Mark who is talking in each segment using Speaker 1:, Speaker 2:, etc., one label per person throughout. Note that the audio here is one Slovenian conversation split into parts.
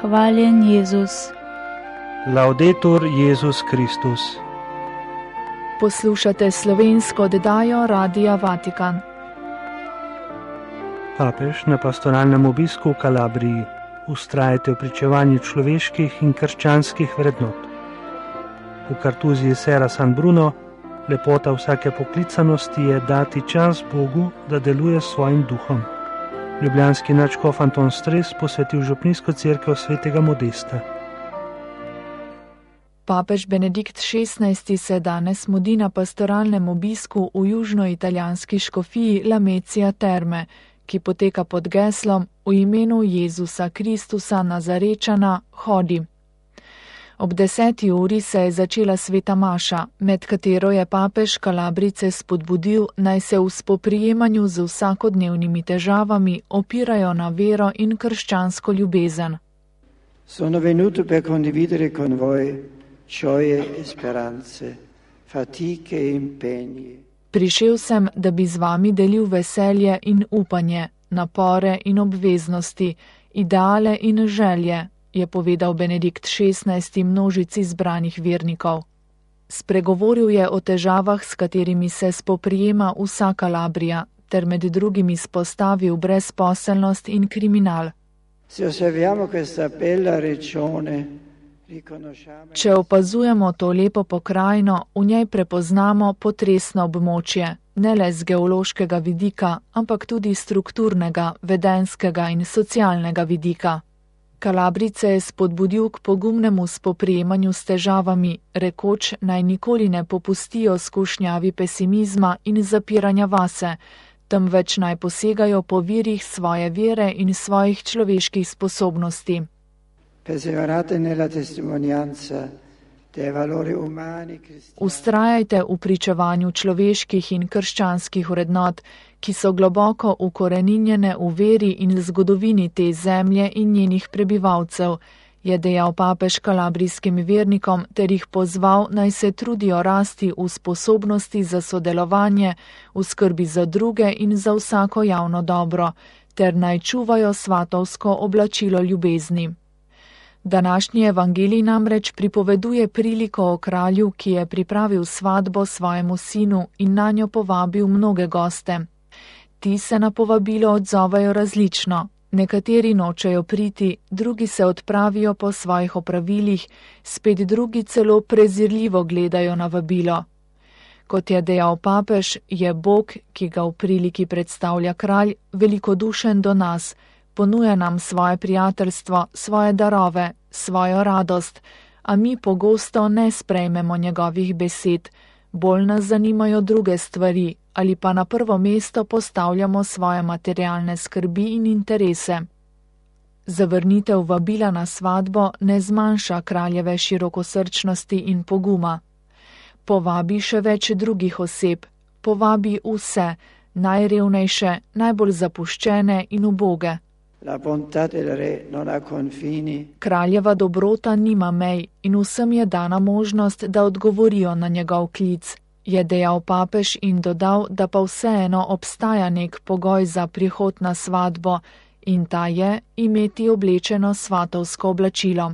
Speaker 1: Hvaljen Jezus.
Speaker 2: Laudetur Jezus Kristus.
Speaker 3: Poslušate slovensko oddajo Radia Vatikan.
Speaker 2: Papež na pastoralnem obisku v Kalabriji. Vztrajajte v pričevanju človeških in krščanskih vrednot. V kartuziji Sera San Bruno lepota vsake poklicanosti je dati čas Bogu, da deluje s svojim duhom. Ljubljanski nadškof Anton Stres posvetil župnijsko cerkev svetega Modesta.
Speaker 3: Papež Benedikt XVI se danes mudi na pastoralnem obisku v južnoitalijanski škofiji Lamezia Terme, ki poteka pod geslom V imenu Jezusa Kristusa Nazarečana hodi. Ob 10. uri se je začela sveta maša, med katero je papež Kalabrice spodbudil, naj se v spoprijemanju z vsakodnevnimi težavami opirajo na vero in krščansko ljubezen.
Speaker 4: Sono venuto per condividere con voi gioie e speranze, fatiche e impegni.
Speaker 3: Prišel sem, da bi z vami delil veselje in upanje, napore in obveznosti, ideale in želje, je povedal Benedikt XVI množici zbranih vernikov. Spregovoril je o težavah, s katerimi se spoprijema vsa Kalabrija, ter med drugim izpostavil brezposelnost in kriminal. Če opazujemo to lepo pokrajino, v njej prepoznamo potresno območje, ne le z geološkega vidika, ampak tudi strukturnega, vedenskega in socialnega vidika. Kalabrice je spodbudil k pogumnemu spoprijemanju s težavami, rekoč naj nikoli ne popustijo skušnjavi pesimizma in zapiranja vase, temveč naj posegajo po virih svoje vere in svojih človeških sposobnosti. Ustrajajte v pričevanju človeških in krščanskih vrednot, ki so globoko ukoreninjene v veri in zgodovini te zemlje in njenih prebivalcev, je dejal papež kalabrijskim vernikom ter jih pozval, naj se trudijo rasti v sposobnosti za sodelovanje, v skrbi za druge in za vsako javno dobro, ter naj čuvajo svatovsko oblačilo ljubezni. Današnji evangelij namreč pripoveduje priliko o kralju, ki je pripravil svatbo svojemu sinu in nanjo povabil mnoge goste. Ti se na povabilo odzovejo različno, nekateri nočejo priti, drugi se odpravijo po svojih opravilih, spet drugi celo prezirljivo gledajo na vabilo. Kot je dejal papež, je Bog, ki ga v priliki predstavlja kralj, velikodušen do nas, ponuja nam svoje prijateljstvo, svoje darove, svojo radost, a mi pogosto ne sprejmemo njegovih besed, bolj nas zanimajo druge stvari ali pa na prvo mesto postavljamo svoje materialne skrbi in interese. Zavrnitev vabila na svatbo ne zmanjša kraljeve širokosrčnosti in poguma. Povabi še več drugih oseb, povabi vse, najrevnejše, najbolj zapuščene in uboge. Kraljeva dobrota nima mej in vsem je dana možnost, da odgovorijo na njegov klic, je dejal papež in dodal, da pa vseeno obstaja nek pogoj za prihod na svatbo in ta je imeti oblečeno svatovsko oblačilo.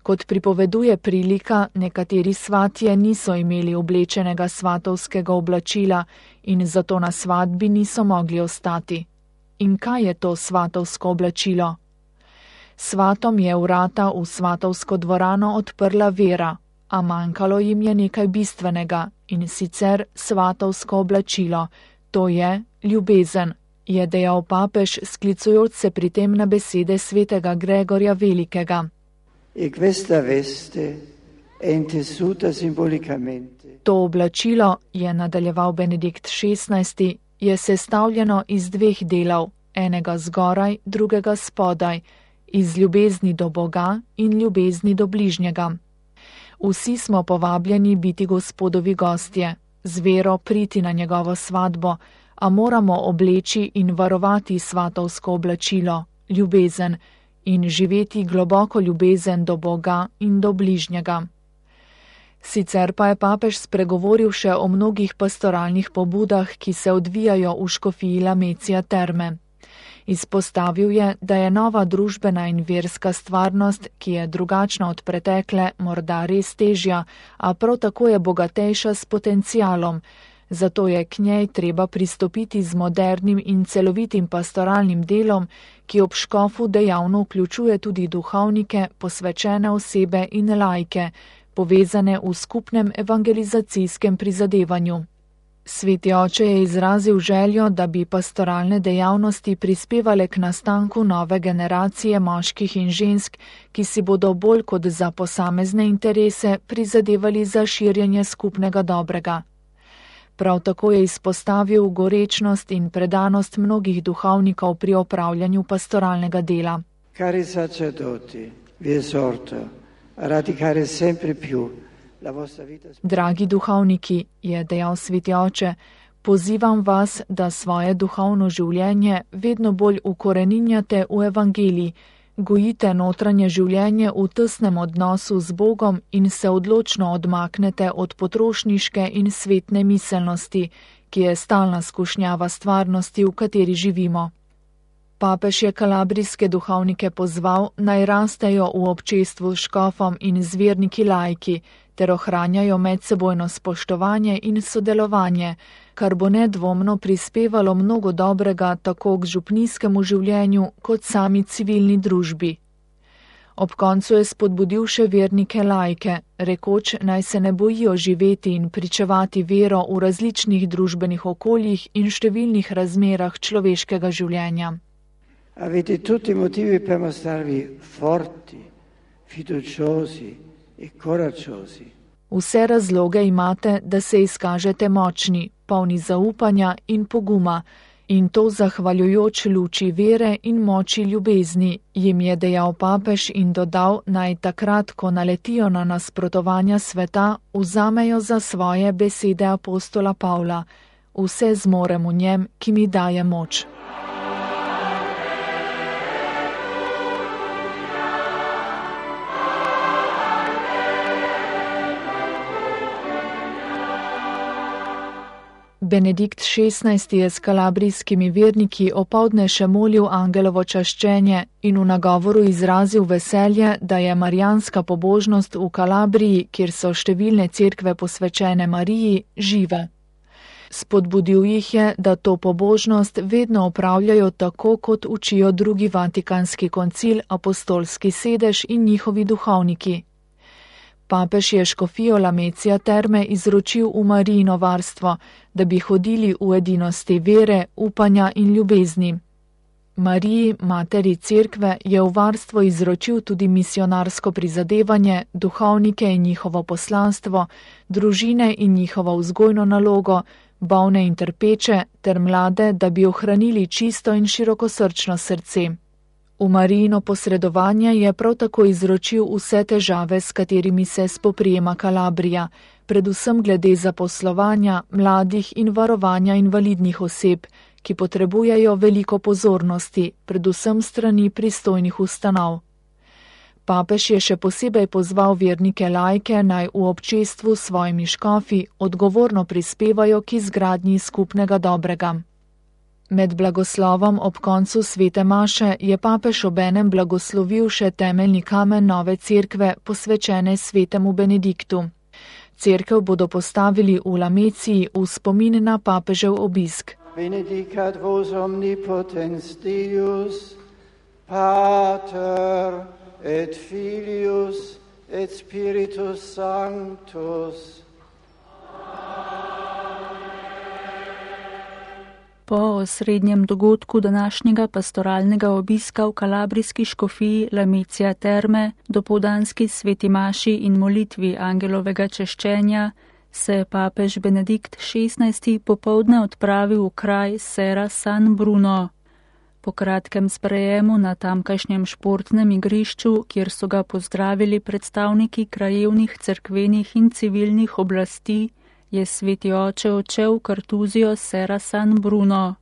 Speaker 3: Kot pripoveduje prilika, nekateri svatje niso imeli oblečenega svatovskega oblačila in zato na svatbi niso mogli ostati. In kaj je to svatovsko oblačilo? Svatom je vrata v svatovsko dvorano odprla vera, a manjkalo jim je nekaj bistvenega, in sicer svatovsko oblačilo, to je ljubezen, je dejal papež, sklicujoč se pri tem na besede svetega Gregorja Velikega. To oblačilo, je nadaljeval Benedikt XVI, je sestavljeno iz dveh delov, enega zgoraj, drugega spodaj, iz ljubezni do Boga in ljubezni do bližnjega. Vsi smo povabljeni biti Gospodovi gostje, z vero priti na njegovo svatbo, a moramo obleči in varovati svatovsko oblačilo, ljubezen, in živeti globoko ljubezen do Boga in do bližnjega. Sicer pa je papež spregovoril še o mnogih pastoralnih pobudah, ki se odvijajo v škofiji Lamezia Terme. Izpostavil je, da je nova družbena in verska stvarnost, ki je drugačna od pretekle, morda res težja, a prav tako je bogatejša s potencialom. Zato je k njej treba pristopiti z modernim in celovitim pastoralnim delom, ki ob škofu dejavno vključuje tudi duhovnike, posvečene osebe in laike, povezane v skupnem evangelizacijskem prizadevanju. Sveti oče je izrazil željo, da bi pastoralne dejavnosti prispevale k nastanku nove generacije moških in žensk, ki si bodo bolj kot za posamezne interese prizadevali za širjenje skupnega dobrega. Prav tako je izpostavil gorečnost in predanost mnogih duhovnikov pri opravljanju pastoralnega dela.
Speaker 4: Cari sacerdoti, vi esorto a radicare sempre più la vostra vita.
Speaker 3: Dragi duhovniki, je dejal sveti oče, pozivam vas, da svoje duhovno življenje vedno bolj ukoreninjate v evangeliji, gojite notranje življenje v tesnem odnosu z Bogom in se odločno odmaknete od potrošniške in svetne miselnosti, ki je stalna skušnjava stvarnosti, v kateri živimo. Papež je kalabrijske duhovnike pozval, naj rastejo v občestvu s škofom in z verniki laiki, ter ohranjajo medsebojno spoštovanje in sodelovanje, kar bo nedvomno prispevalo mnogo dobrega tako k župnijskemu življenju kot sami civilni družbi. Ob koncu je spodbudil še vernike laike, rekoč naj se ne bojijo živeti in pričevati vero v različnih družbenih okoljih in številnih razmerah človeškega življenja.
Speaker 4: Avete tutti motivi per mostrarvi forti, fiduciosi e coraggiosi.
Speaker 3: Vse razloge imate, da se izkažete močni, polni zaupanja in poguma, in to zahvaljujoč luči vere in moči ljubezni, jim je dejal papež in dodal, naj takrat, ko naletijo na nasprotovanja sveta, vzamejo za svoje besede apostola Pavla: vse zmorem v njem, ki mi daje moč. Benedikt XVI je s kalabrijskimi verniki opoldne še molil angelovo čaščenje in v nagovoru izrazil veselje, da je marijanska pobožnost v Kalabriji, kjer so številne cerkve posvečene Mariji, žive. Spodbudil jih je, da to pobožnost vedno opravljajo tako, kot učijo drugi Vatikanski koncil, apostolski sedež in njihovi duhovniki. Papež je škofijo Lamecija Terme izročil v Marijino varstvo, da bi hodili v edinosti vere, upanja in ljubezni. Mariji, materi cerkve, je v varstvo izročil tudi misionarsko prizadevanje, duhovnike in njihovo poslanstvo, družine in njihovo vzgojno nalogo, bolne in trpeče ter mlade, da bi ohranili čisto in širokosrčno srce. V Marijino posredovanje je prav tako izročil vse težave, s katerimi se spoprijema Kalabrija, predvsem glede zaposlovanja, mladih in varovanja invalidnih oseb, ki potrebujejo veliko pozornosti, predvsem strani pristojnih ustanov. Papež je še posebej pozval vernike laike, naj v občestvu s svojimi škofi odgovorno prispevajo k izgradnji skupnega dobrega. Med blagoslovom ob koncu svete maše je papež obenem blagoslovil še temeljni kamen nove cerkve, posvečene svetemu Benediktu. Cerkev bodo postavili v Lameciji v spomin na papežev obisk.
Speaker 4: Benedicat vos omnipotens Deus, Pater et Filius et Spiritus Sanctus.
Speaker 1: Po osrednjem dogodku današnjega pastoralnega obiska v kalabrijski škofiji Lamecija Terme, dopoldanski sveti maši in molitvi angelovega češčenja, se je papež Benedikt XVI popoldne odpravil v kraj Serra San Bruno. Po kratkem sprejemu na tamkajšnjem športnem igrišču, kjer so ga pozdravili predstavniki krajevnih, cerkvenih in civilnih oblasti, je sveti oče odšel v kartuzijo Serra San Bruno.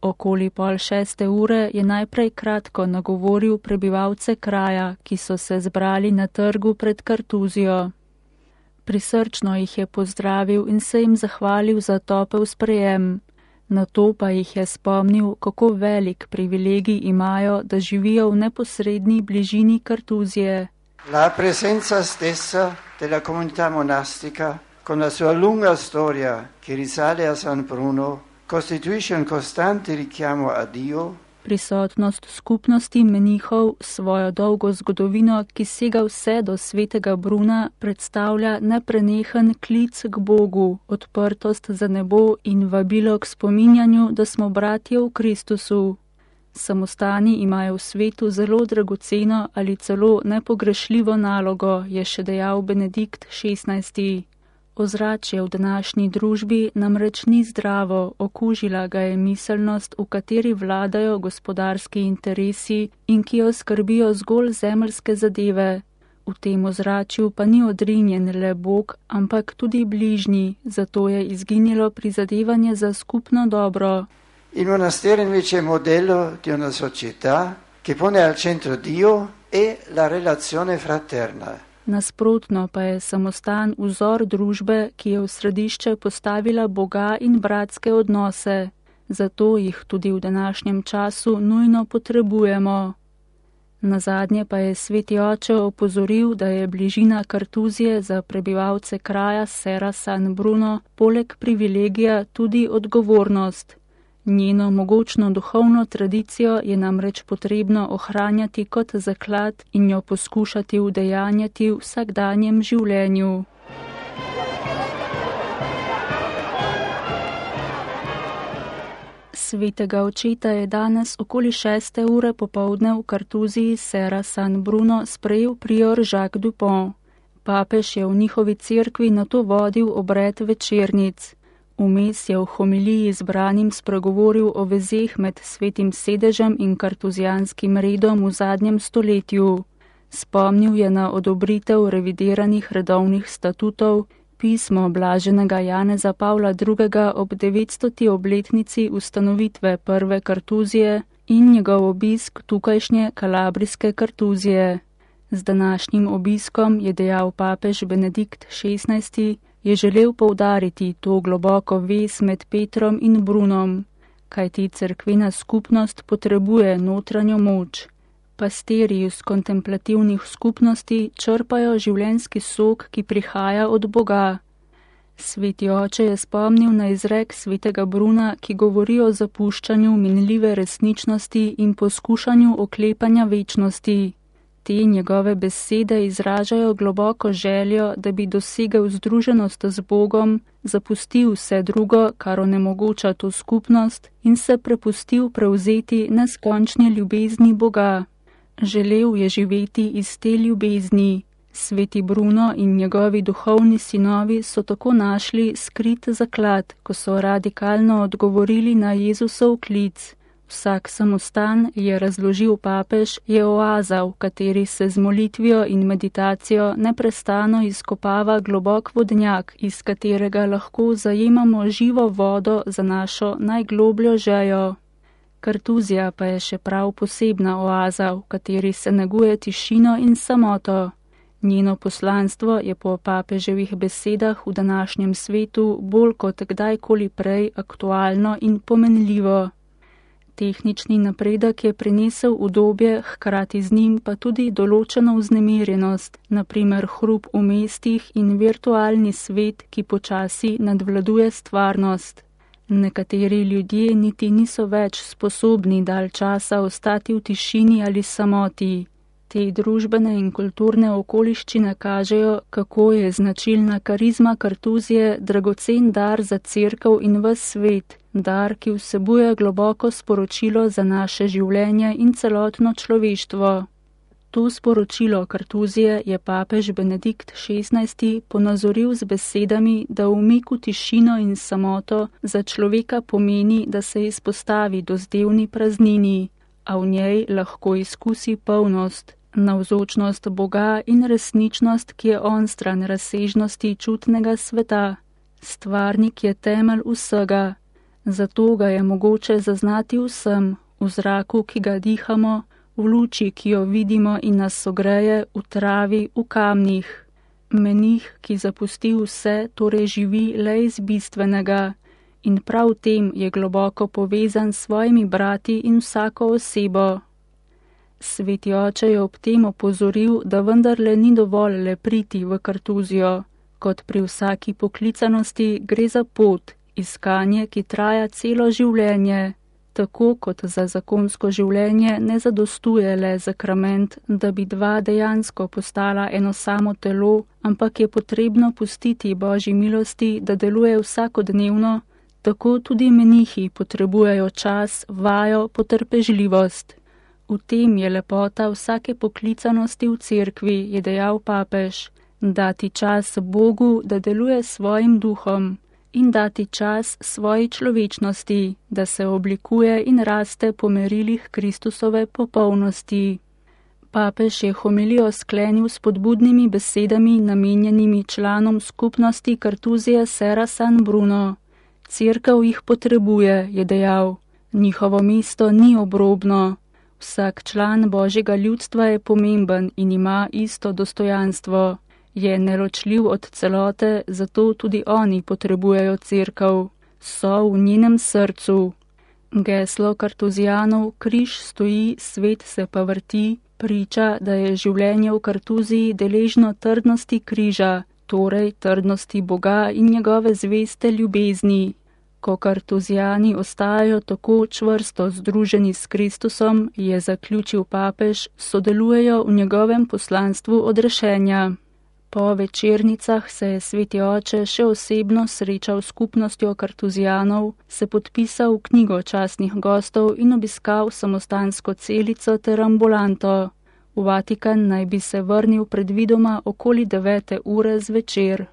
Speaker 1: Okoli 5:30 je najprej kratko nagovoril prebivalce kraja, ki so se zbrali na trgu pred kartuzijo. Prisrčno jih je pozdravil in se jim zahvalil za topel sprejem. Na to pa jih je spomnil, kako velik privilegij imajo, da živijo v neposredni bližini Kartuzije.
Speaker 4: La presenza stessa della comunità monastica, con la sua lunga storia che risale a San Bruno, costituisce un costante richiamo a Dio.
Speaker 1: Prisotnost skupnosti menihov s svojo dolgo zgodovino, ki sega vse do svetega Bruna, predstavlja neprenehen klic k Bogu, odprtost za nebo in vabilo k spominjanju, da smo bratje v Kristusu. Samostani imajo v svetu zelo dragoceno ali celo nepogrešljivo nalogo, je še dejal Benedikt XVI. Ozračje v današnji družbi namreč ni zdravo, okužila ga je miselnost, v kateri vladajo gospodarski interesi in ki jo skrbijo zgolj zemeljske zadeve. V tem ozračju pa ni odrinjen le Bog, ampak tudi bližnji, zato je izginilo prizadevanje za skupno dobro.
Speaker 4: Il monastero invece è modello di una società che pone al centro Dio e la relazione fraterna.
Speaker 1: Nasprotno pa je samostan vzor družbe, ki je v središče postavila Boga in bratske odnose. Zato jih tudi v današnjem času nujno potrebujemo. Nazadnje pa je sveti oče opozoril, da je bližina Kartuzije za prebivalce kraja Serra San Bruno poleg privilegija tudi odgovornost. Njeno mogočno duhovno tradicijo je namreč potrebno ohranjati kot zaklad in jo poskušati udejanjati v vsakdanjem življenju. Svetega očeta je danes okoli 6. ure popoldne v Kartuziji Serra San Bruno sprejel prior Jacques Dupont. Papež je v njihovi cerkvi nato vodil obred večernic. Vmes je v homiliji zbranim spregovoril o vezeh med svetim sedežem in kartuzijanskim redom v zadnjem stoletju. Spomnil je na odobritev revidiranih redovnih statutov, pismo blaženega Janeza Pavla II. Ob 900. obletnici ustanovitve prve Kartuzije in njegov obisk tukajšnje kalabrijske Kartuzije. Z današnjim obiskom, je dejal papež Benedikt XVI, je želel poudariti to globoko vez med Petrom in Brunom, kajti cerkvena skupnost potrebuje notranjo moč. Pastirji iz kontemplativnih skupnosti črpajo življenjski sok, ki prihaja od Boga. Sveti oče je spomnil na izrek svetega Bruna, ki govori o zapuščanju minljive resničnosti in poskušanju oklepanja večnosti. Te njegove besede izražajo globoko željo, da bi dosegel združenost z Bogom, zapustil vse drugo, kar onemogoča to skupnost, in se prepustil prevzeti neskončni ljubezni Boga. Želel je živeti iz te ljubezni. Sveti Bruno in njegovi duhovni sinovi so tako našli skrit zaklad, ko so radikalno odgovorili na Jezusov klic. Vsak samostan, je razložil papež, je oaza, v kateri se z molitvijo in meditacijo neprestano izkopava globok vodnjak, iz katerega lahko zajemamo živo vodo za našo najglobljo žejo. Kartuzija pa je še prav posebna oaza, v kateri se neguje tišino in samoto. Njeno poslanstvo je po papeževih besedah v današnjem svetu bolj kot kdajkoli prej aktualno in pomenljivo. Tehnični napredek je prinesel udobje, hkrati z njim pa tudi določeno vznemirjenost, naprimer hrup v mestih in virtualni svet, ki počasi nadvladuje stvarnost. Nekateri ljudje niti niso več sposobni dalj časa ostati v tišini ali samoti. Te družbene in kulturne okoliščine kažejo, kako je značilna karizma Kartuzije dragocen dar za cerkev in ves svet, dar, ki vsebuje globoko sporočilo za naše življenje in celotno človeštvo. To sporočilo Kartuzije je papež Benedikt XVI ponazoril z besedami, da umik v tišino in samoto za človeka pomeni, da se izpostavi dozdevni praznini, a v njej lahko izkusi polnost, navzočnost Boga in resničnost, ki je onstran razsežnosti čutnega sveta. Stvarnik je temelj vsega, zato ga je mogoče zaznati vsem, v zraku, ki ga dihamo, v luči, ki jo vidimo in nas ogreje, v travi, v kamnih. Menih, ki zapusti vse, torej živi le iz bistvenega, in prav v tem je globoko povezan s svojimi brati in vsako osebo. Sveti oče je ob tem opozoril, da vendarle ni dovolj le priti v kartuzijo. Kot pri vsaki poklicanosti gre za pot, iskanje, ki traja celo življenje. Tako kot za zakonsko življenje ne zadostuje le sakrament, da bi dva dejansko postala eno samo telo, ampak je potrebno pustiti Božji milosti, da deluje vsakodnevno, tako tudi menihi potrebujejo čas, vajo, potrpežljivost. V tem je lepota vsake poklicanosti v cerkvi, je dejal papež, dati čas Bogu, da deluje svojim duhom, in dati čas svoji človečnosti, da se oblikuje in raste po merilih Kristusove popolnosti. Papež je homilijo sklenil s spodbudnimi besedami namenjenimi članom skupnosti Kartuzije Serra San Bruno. Cerkev jih potrebuje, je dejal. Njihovo mesto ni obrobno. Vsak član Božjega ljudstva je pomemben in ima isto dostojanstvo. Je neločljiv od celote, zato tudi oni potrebujejo cerkev. So v njenem srcu. Geslo kartuzijanov Križ stoji, svet se pa vrti, priča, da je življenje v Kartuziji deležno trdnosti križa, torej trdnosti Boga in njegove zveste ljubezni. Ko kartuzijani ostajajo tako čvrsto združeni s Kristusom, je zaključil papež, sodelujejo v njegovem poslanstvu odrešenja. Po večernicah se je sveti oče še osebno srečal s skupnostjo kartuzijanov, se podpisal v knjigo častnih gostov in obiskal samostansko celico ter ambulanto. V Vatikan naj bi se vrnil predvidoma okoli 9. ure zvečer.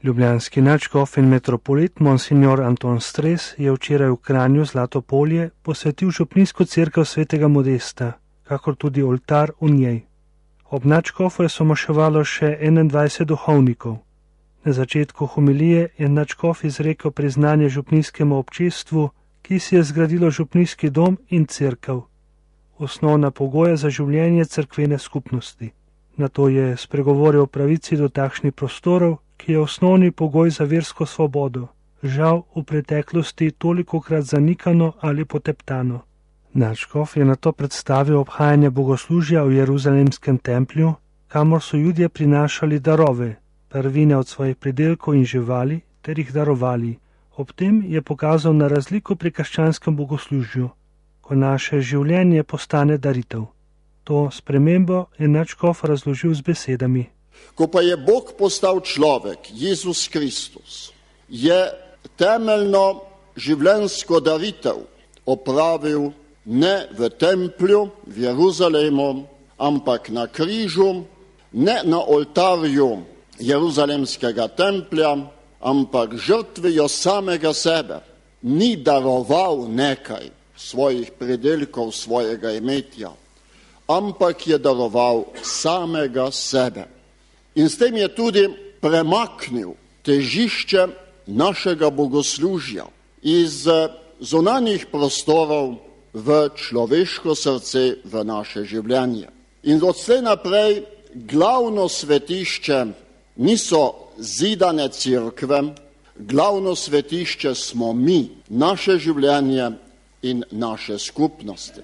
Speaker 2: Ljubljanski nadškof in metropolit Monsignor Anton Stres je včeraj v Kranju Zlato polje posvetil župnijsko cerkev svetega Modesta, kakor tudi oltar v njej. Ob nadškofu je somoševalo še 21 duhovnikov. Na začetku homilije je nadškof izrekel priznanje župnijskemu občestvu, ki si je zgradilo župnijski dom in cerkev, osnovna pogoja za življenje cerkvene skupnosti. Nato je spregovoril o pravici do takšnih prostorov, ki je osnovni pogoj za versko svobodo, žal v preteklosti tolikokrat zanikano ali poteptano. Nadškof je nato predstavil obhajanje bogoslužja v Jeruzalemskem templju, kamor so Judje prinašali darove, prvine od svojih pridelkov in živali, ter jih darovali. Ob tem je pokazal na razliko pri krščanskem bogoslužju, ko naše življenje postane daritev. To spremembo je nadškof razložil z besedami.
Speaker 5: Ko pa je Bog postal človek, Jezus Kristus, je temeljno življenjsko daritev opravil ne v templju v Jeruzalemu, ampak na križu, ne na oltarju Jeruzalemskega templja, ampak žrtvijo samega sebe. Ni daroval nekaj svojih pridelkov, svojega imetja, ampak je daroval samega sebe. In s tem je tudi premaknil težišče našega bogoslužja iz zunanjih prostorov v človeško srce, v naše življenje. In odslej naprej glavno svetišče niso zidane cerkve, glavno svetišče smo mi, naše življenje in naše skupnosti.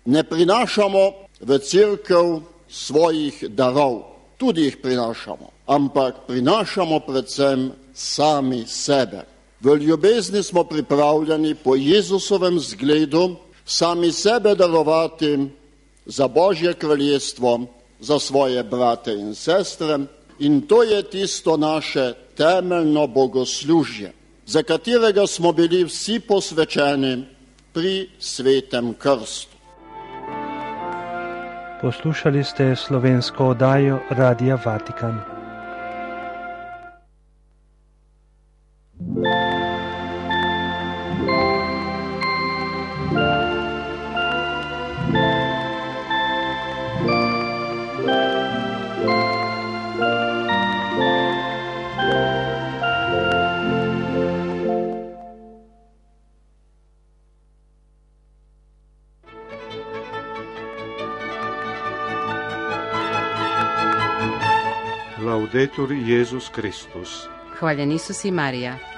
Speaker 5: Ne prinašamo v cerkev svojih darov, tudi jih prinašamo, ampak prinašamo predvsem sami sebe. V ljubezni smo pripravljeni po Jezusovem zgledu sami sebe darovati za Božje kraljestvo, za svoje brate in sestre, in to je tisto naše temeljno bogoslužje, za katerega smo bili vsi posvečeni pri svetem krstu.
Speaker 2: Poslušali ste slovensko oddajo Radia Vatikan.
Speaker 6: Laudetur Jezus Kristus.
Speaker 7: Hvaljen Isus i Marija.